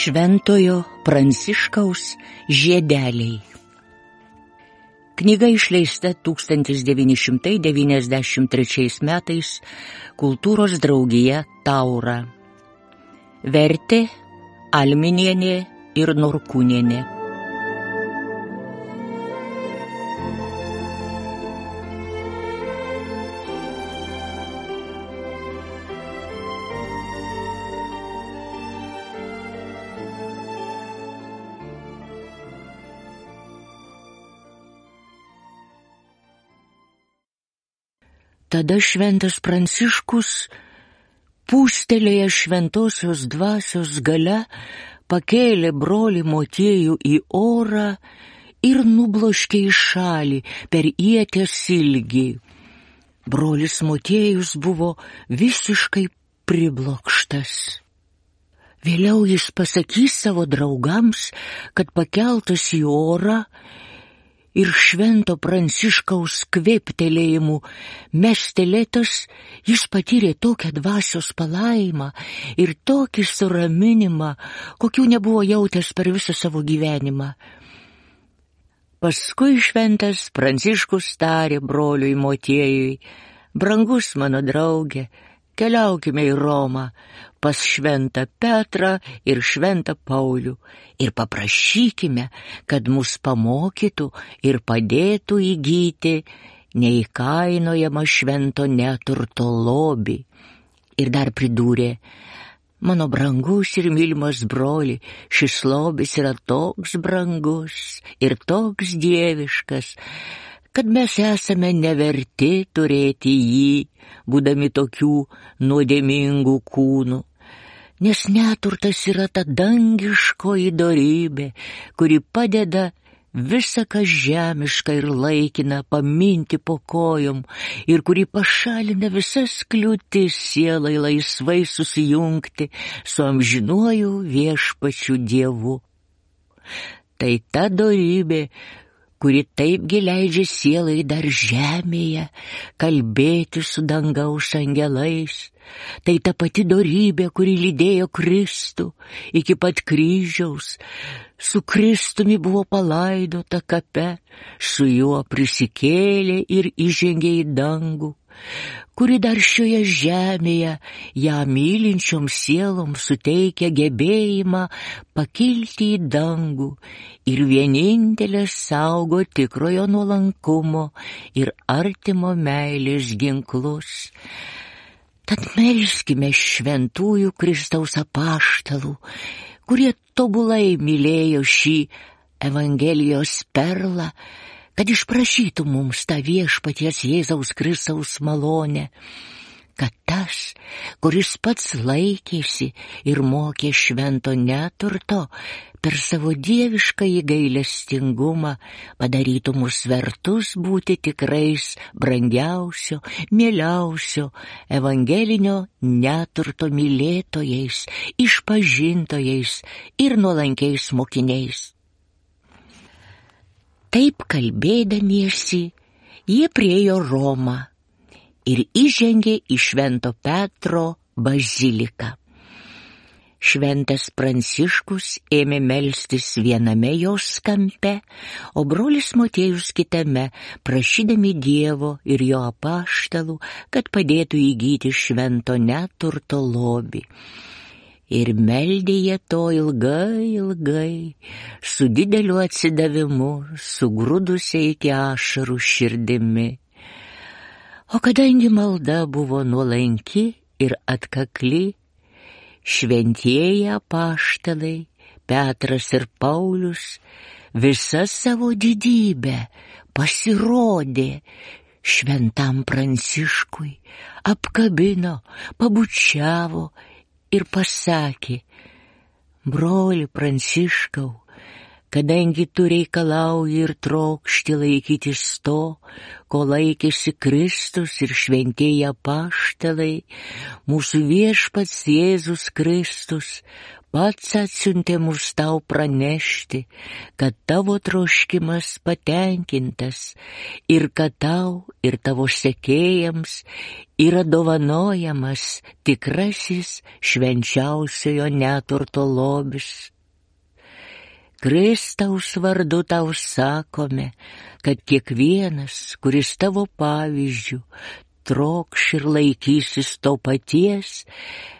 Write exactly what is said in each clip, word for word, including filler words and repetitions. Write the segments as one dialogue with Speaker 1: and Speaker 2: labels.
Speaker 1: Šventojo Pranciškaus žiedeliai. Knyga išleista tūkstantis devyni šimtai devyniasdešimt trečiais metais Kultūros draugija Taura. Vertė Alminienė ir Norkūnienė. Tada šventas Pranciškus, pūstelėjęs šventosios dvasios galia, pakėlė brolį Motiejų į orą ir nubloškė į šalį per ieties ilgį. Brolis Motiejus buvo visiškai priblokštas. Vėliau jis pasakys savo draugams, kad pakeltas į orą ir švento Pranciškaus kvėptelėjimų mestelėtas, jis patyrė tokią dvasios palaimą ir tokį suraminimą, kokių nebuvo jautęs per visą savo gyvenimą. Paskui šventas Pranciškus tarė broliui Motiejui: brangus mano drauge, keliaukime į Romą pas šventą Petrą ir šventą Paulių ir paprašykime, kad mus pamokytų ir padėtų įgyti neįkainojamą švento neturto lobį. Ir dar pridūrė: mano brangus ir mylimas broli, šis lobis yra toks brangus ir toks dieviškas, kad mes esame neverti turėti jį, būdami tokių nuodėmingų kūnų. Nes neturtas yra ta dangiškoji dorybė, kuri padeda visą kas žemišką ir laikina paminti po kojom ir kuri pašalina visas kliūtis sielai laisvai susijungti su amžinuoju viešpačiu Dievu. Tai ta dorybė, kuri taipgi leidžia sielai dar žemėje kalbėti su dangaus angelais. Tai ta pati dorybė, kuri lydėjo Kristų iki pat kryžiaus. Su Kristumi buvo palaidota kape, su juo prisikėlė ir įžengė į dangų, kuri dar šioje žemėje ją mylinčiom sielom suteikia gebėjimą pakilti į dangų ir vienintelė saugo tikrojo nuolankumo ir artimo meilės ginklus. Tad melskime šventųjų Kristaus apaštalų, kurie tobulai mylėjo šį Evangelijos perlą, kad išprašytų mums tą viešpaties Jėzaus Kristaus malonę, kad tas, kuris pats laikėsi ir mokė švento neturto, per savo dieviškąjį gailestingumą padarytų mus vertus būti tikrais brangiausio, mieliausio evangelinio neturto mylėtojais, išpažintojais ir nuolankiais mokiniais. Taip kalbėdamiesi, jie priėjo Romą ir įžengė į švento Petro baziliką. Šventas Pranciškus ėmė melstis viename jos kampe, o brolis Motiejus kitame, prašydami Dievo ir jo apaštalų, kad padėtų įgyti švento neturto lobį. Ir meldė jie to ilgai, ilgai, su dideliu atsidavimu, sugrūdusiai iki ašarų širdimi. O kadangi malda buvo nuolanki ir atkakli, šventieji apaštalai Petras ir Paulius visa savo didybę pasirodė šventam Pranciškui, apkabino, pabučiavo ir pasakė: broli Pranciškau, kadangi tu reikalauji ir trokšti laikytis to, ko laikėsi Kristus ir šventieji apaštalai, mūsų viešpats Jėzus Kristus pats atsiuntė mus tau pranešti, kad tavo troškimas patenkintas ir kad tau ir tavo sekėjams yra dovanojamas tikrasis švenčiausiojo neturto lobis. Kristaus vardu tau sakome, kad kiekvienas, kuris tavo pavyzdžių trokš ir laikysis to paties,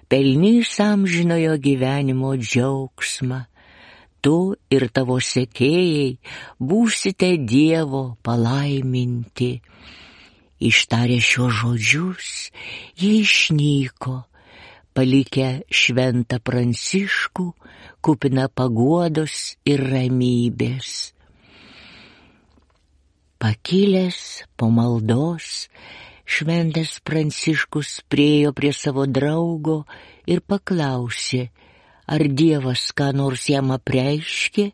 Speaker 1: pelnys amžinojo gyvenimo džiaugsmą. Tu ir tavo sekėjai būsite Dievo palaiminti. Ištarę šiuos žodžius, jie išnyko, palikę šventą Pranciškų, kupiną paguodos ir ramybės. Pakilęs po maldos, šventas Pranciškus priėjo prie savo draugo ir paklausė, ar Dievas ką nors jam apreiškė.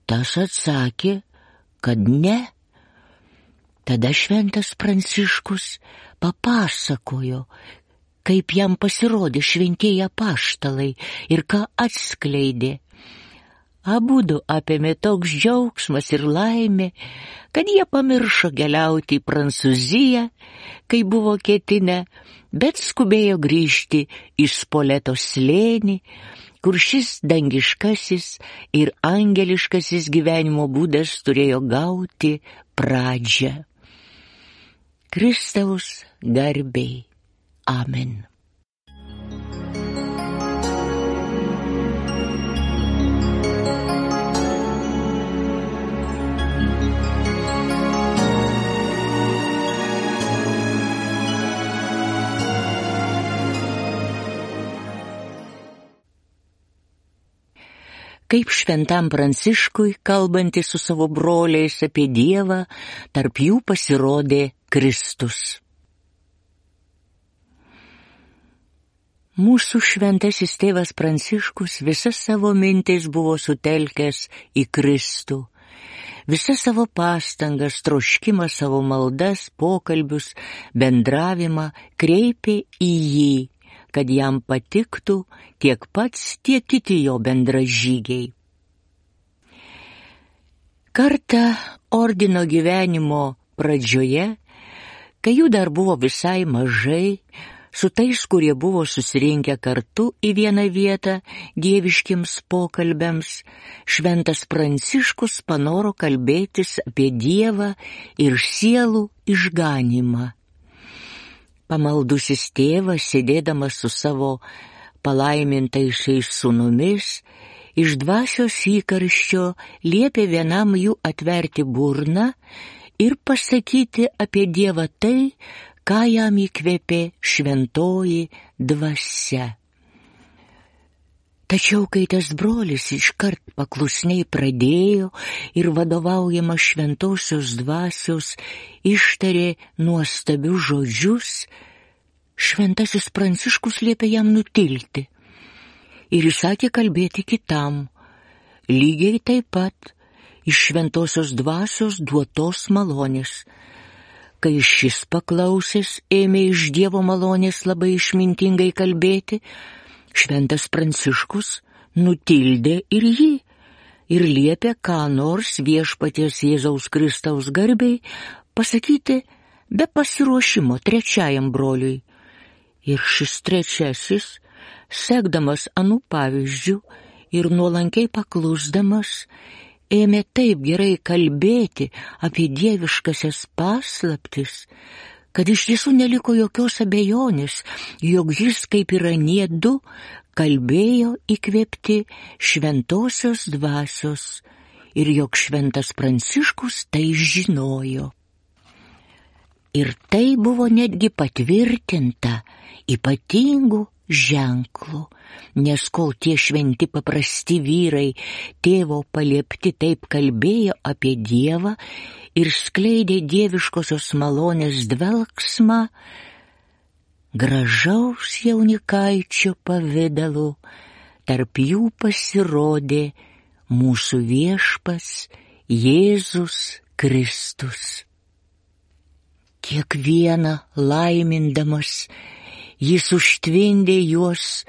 Speaker 1: Tas atsakė, kad ne. Tada šventas Pranciškus papasakojo, kaip jam pasirodė šventieji apaštalai ir ką atskleidė. Abudu apėmė toks džiaugsmas ir laimė, kad jie pamiršo keliauti į Prancūziją, kai buvo ketinę, bet skubėjo grįžti į Spoleto slėnį, kur šis dangiškasis ir angeliškasis gyvenimo būdas turėjo gauti pradžią. Kristaus garbei. Amen. Kaip šventam Pranciškui, kalbantis su savo broliais apie Dievą, tarp jų pasirodė Kristus. Mūsų šventasis tėvas Pranciškus visas savo mintis buvo sutelkęs į Kristų. Visas savo pastangas, troškimą, savo maldas, pokalbius, bendravimą kreipė į jį, kad jam patiktų tiek pats, tiek kiti jo bendražygiai. Kartą ordino gyvenimo pradžioje, kai jų dar buvo visai mažai, su tais, kurie buvo susirinkę kartu į vieną vietą dieviškiams pokalbiams, šventas Pranciškus panoro kalbėtis apie Dievą ir sielų išganymą. Pamaldusis tėvas, sėdėdamas su savo palaimintaisiais sūnumis, iš dvasios įkarščio liepė vienam jų atverti burną ir pasakyti apie Dievą tai, ką jam įkvėpė šventoji dvasia. Tačiau, kai tas brolis iškart paklusniai pradėjo ir vadovaujama šventosios dvasios ištarė nuostabius žodžius, šventasis Pranciškus liepė jam nutilti ir įsakė kalbėti kitam, lygiai taip pat iš šventosios dvasios duotos malonės. Kai šis paklausęs ėmė iš Dievo malonės labai išmintingai kalbėti, šventas Pranciškus nutildė ir jį ir liepė ką nors viešpaties Jėzaus Kristaus garbei pasakyti be pasiruošimo trečiajam broliui. Ir šis trečiasis, sekdamas anų pavyzdžių ir nuolankiai paklusdamas, ėmė taip gerai kalbėti apie dieviškasias paslaptis, kad iš tiesų neliko jokios abejonės, jog jis, kaip ir anie du, kalbėjo įkvėpti šventosios dvasios ir jog šventas Pranciškus tai žinojo. Ir tai buvo netgi patvirtinta ypatingų ženklų, nes kol tie šventi paprasti vyrai tėvo paliepti taip kalbėjo apie Dievą ir skleidė dieviškosios malonės dvelksmą, gražaus jaunikaičio pavidalu tarp jų pasirodė mūsų viešpats Jėzus Kristus. Kiekvieną laimindamas jis užtvindė juos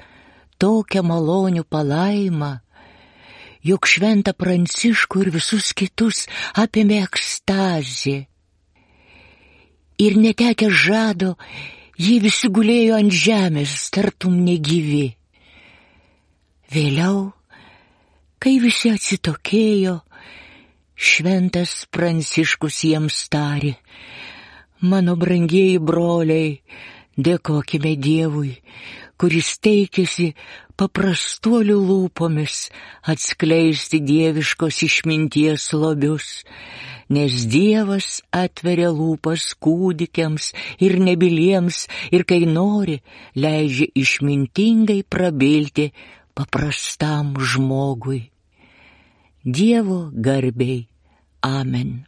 Speaker 1: tokią malonių palaimą, jog šventą Pranciškų ir visus kitus apėmė ekstazė. Ir netekę žado, jie visi gulėjo ant žemės, tartum negyvi. Vėliau Kai visi atsitokėjo, šventas Pranciškus jiems tarė: mano brangieji broliai, dėkokime Dievui, kuris teikėsi paprastuolių lūpomis atskleisti dieviškos išminties lobius, nes Dievas atveria lūpas kūdikiams ir nebyliems ir kai nori, leidžia išmintingai prabilti paprastam žmogui. Dievo garbei. Amen.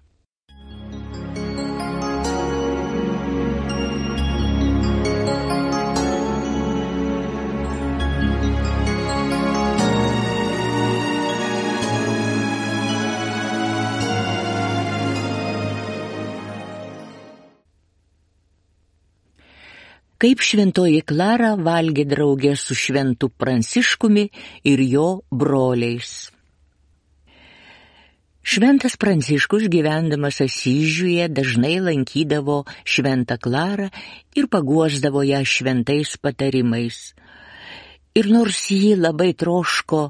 Speaker 1: Kaip šventoji Klara valgė draugė su šventu Pranciškumi ir jo broliais. Šventas Pranciškus, gyvendamas Asyžiuje, dažnai lankydavo šventą Klarą ir paguosdavo ją šventais patarimais. Ir nors ji labai troško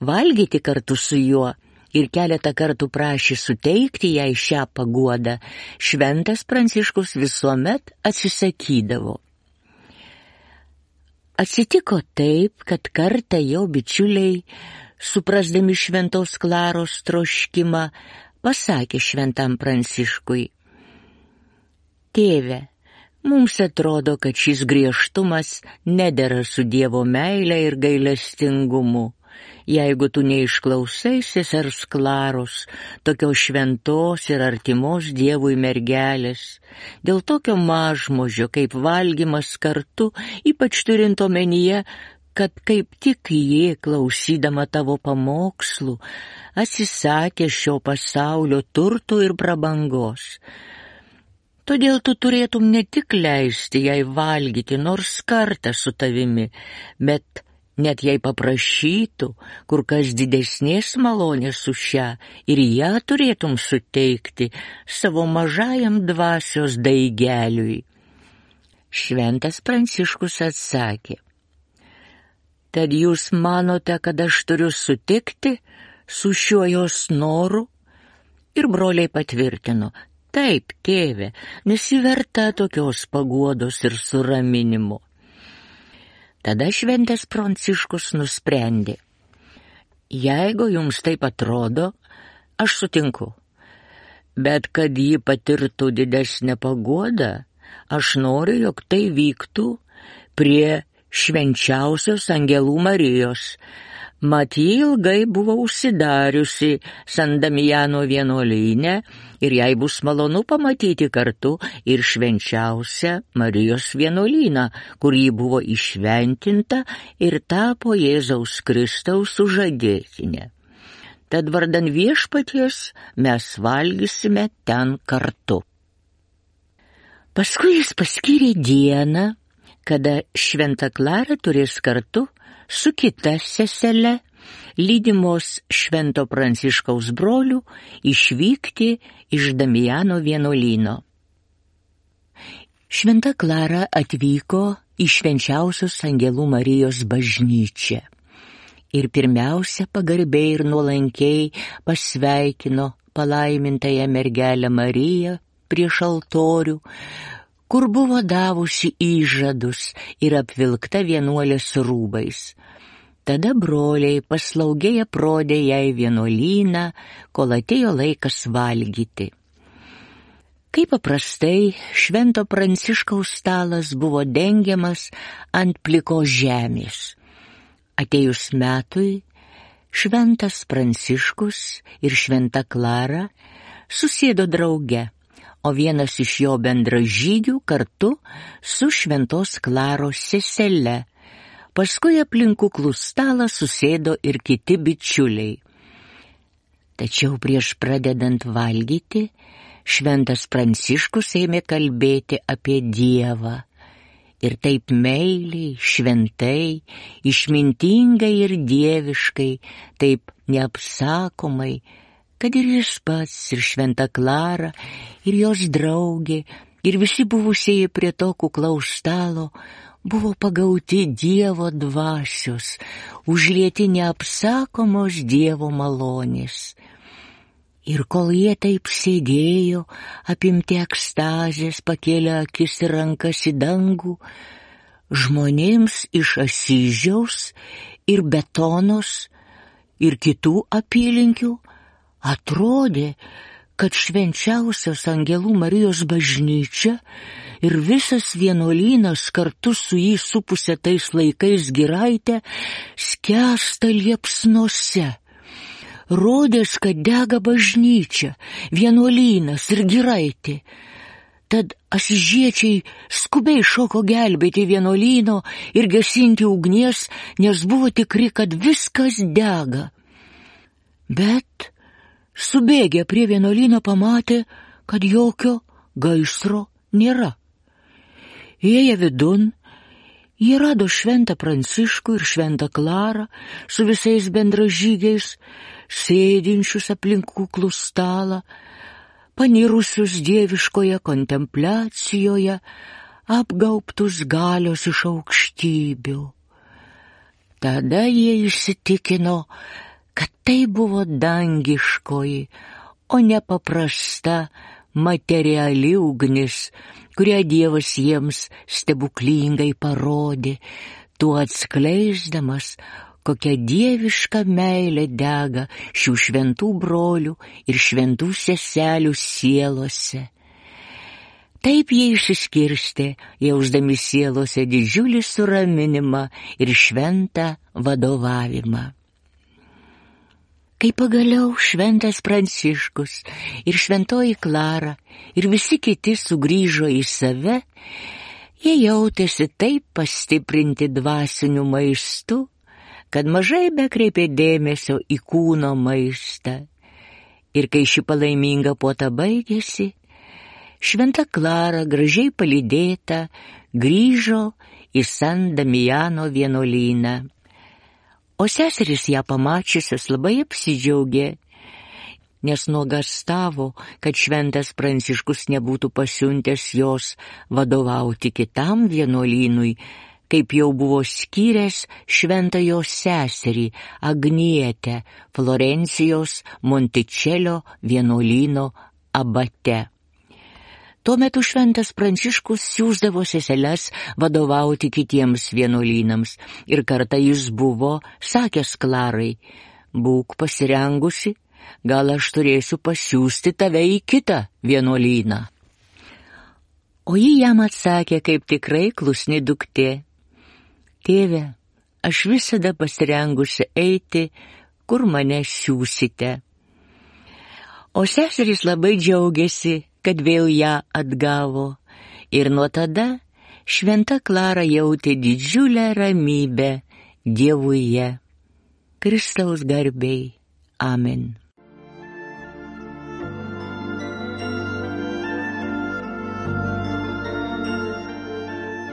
Speaker 1: valgyti kartu su juo ir keletą kartų prašė suteikti jai šią paguodą, šventas Pranciškus visuomet atsisakydavo. Atsitiko taip, kad kartą jo bičiuliai, suprasdami šventos Klaros troškimą, pasakė šventam Pranciškui: tėve, mums atrodo, kad šis griežtumas nedera su Dievo meile ir gailestingumu. Jeigu tu neišklausai sesers Klaros, tokios šventos ir artimos Dievui mergelės, dėl tokio mažmožio kaip valgymas kartu, ypač turint omenyje, kad kaip tik ji, klausydama tavo pamokslų, atsisakė šio pasaulio turtų ir prabangos. Todėl tu turėtum ne tik leisti jai valgyti nors kartą su tavimi, bet net jei paprašytų kur kas didesnės malonės už šią, ir ją turėtum suteikti savo mažajam dvasios daigeliui. Šventas Pranciškus atsakė: tad jūs manote, kad aš turiu sutikti su šiuo jos noru? Ir broliai patvirtino: taip, tėve, nesi verta tokios paguodos ir suraminimo. Tada šventas Pranciškus nusprendė: jeigu jums taip atrodo, aš sutinku, bet kad ji patirtų didesnę paguodą, aš noriu, jog tai vyktų prie švenčiausios Angelų Marijos. Mat ji ilgai buvo užsidariusi San Damijano vienuolyne ir jai bus malonu pamatyti kartu ir švenčiausią Marijos vienuolyną, kur ji buvo įšventinta ir tapo Jėzaus Kristaus sužadėtinė. Tad vardan Viešpaties mes valgysime ten kartu. Paskui jis paskyrė dieną, kada šventa Klara turės kartu su kita sesele, lydimos švento Pranciškaus brolių, išvykti iš Damijano vienuolyno. Šventa Klara atvyko į švenčiausios Angelų Marijos bažnyčią ir pirmiausia pagarbiai ir nuolankiai pasveikino palaimintąją mergelę Mariją prieš altorių, kur buvo davusi įžadus ir apvilkta vienuolės rūbais. Tada broliai paslaugiai aprodė jai vienuolyną, kol atėjo laikas valgyti. Kaip paprastai, švento Pranciškaus stalas buvo dengiamas ant plikos žemės. Atėjus metui, šventas Pranciškus ir šventa Klara susėdo drauge, o vienas iš jo bendražygių kartu su šventos Klaros sesele. Paskui aplink kuklų stalą susėdo ir kiti bičiuliai. Tačiau prieš pradedant valgyti, šventas Pranciškus ėmė kalbėti apie Dievą. Ir taip meiliai, šventai, išmintingai ir dieviškai, taip neapsakomai, kad ir jis pats, ir šventa Klara, ir jos draugė, ir visi buvusieji prie to kuklaus stalo buvo pagauti Dievo dvasios, užlieti neapsakomos Dievo malonės. Ir kol jie taip sėdėjo, apimti ekstazės, pakėlė akis ir rankas į dangų, žmonėms iš Asyžiaus ir Betonos ir kitų apylinkių atrodė, kad švenčiausios Angelų Marijos bažnyčia ir visas vienuolynas kartu su jį supusia tais laikais giraitę skęsta liepsnose. Rodės, kad dega bažnyčia, vienuolynas ir giraitė. Tad asyžiečiai skubiai šoko gelbėti vienuolyno ir gesinti ugnies, nes buvo tikri, kad viskas dega. Bet subėgę prie vienuolyno pamatė, kad jokio gaisro nėra. Įėję vidun, jie rado šventą Pranciškų ir šventą Klarą su visais bendražygiais, sėdinčius aplink kuklų stalą, panirusius dieviškoje kontempliacijoje, apgaubtus galios iš aukštybių. Tada jie įsitikino, kad tai buvo dangiškoji, o ne paprasta materiali ugnis, kurią Dievas jiems stebuklingai parodė, tuo atskleisdamas, kokia dieviška meilė dega šių šventų brolių ir šventų seselių sielose. Taip jie išsiskirstė, jausdami sielose didžiulį suraminimą ir šventą vadovavimą. Kai pagaliau šventas Pranciškus ir šventoji Klara ir visi kiti sugrįžo į save, jie jautėsi taip pastiprinti dvasiniu maistu, kad mažai bekreipė dėmesio į kūno maistą. Ir kai ši palaiminga puota baigėsi, šventa Klara, gražiai palydėta, grįžo į San Damiano vienuolyną. O seserys ją pamačiusios labai apsidžiaugė, nes nuogąstavo, kad šventas Pranciškus nebūtų pasiuntęs jos vadovauti kitam vienuolynui, kaip jau buvo skyręs šventą jos seserį Agnietę Florencijos Monticelio vienuolyno abate. Tuo metu šventas Pranciškus siųsdavo seseles vadovauti kitiems vienuolynams ir kartą jis buvo sakęs Klarai: būk pasirengusi, gal aš turėsiu pasiųsti tave į kitą vienuolyną. O ji jam atsakė kaip tikrai klusni duktė: tėve, aš visada pasirengusi eiti, kur mane siūsite. O seserys labai džiaugiasi, kad vėl ją atgavo, ir nuo tada šventa Klara jautė didžiulę ramybę Dievuje. Kristaus garbei. Amen.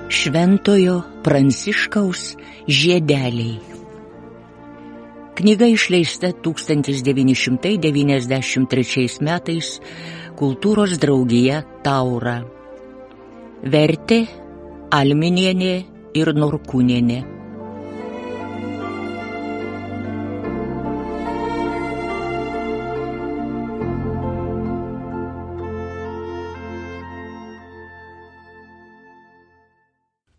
Speaker 1: Šventojo Pranciškaus žiedeliai. Knyga išleista tūkstantis devyni šimtai devyniasdešimt trečiais metais Kultūros draugija Taura. Vertė Alminienė ir Norkūnienė.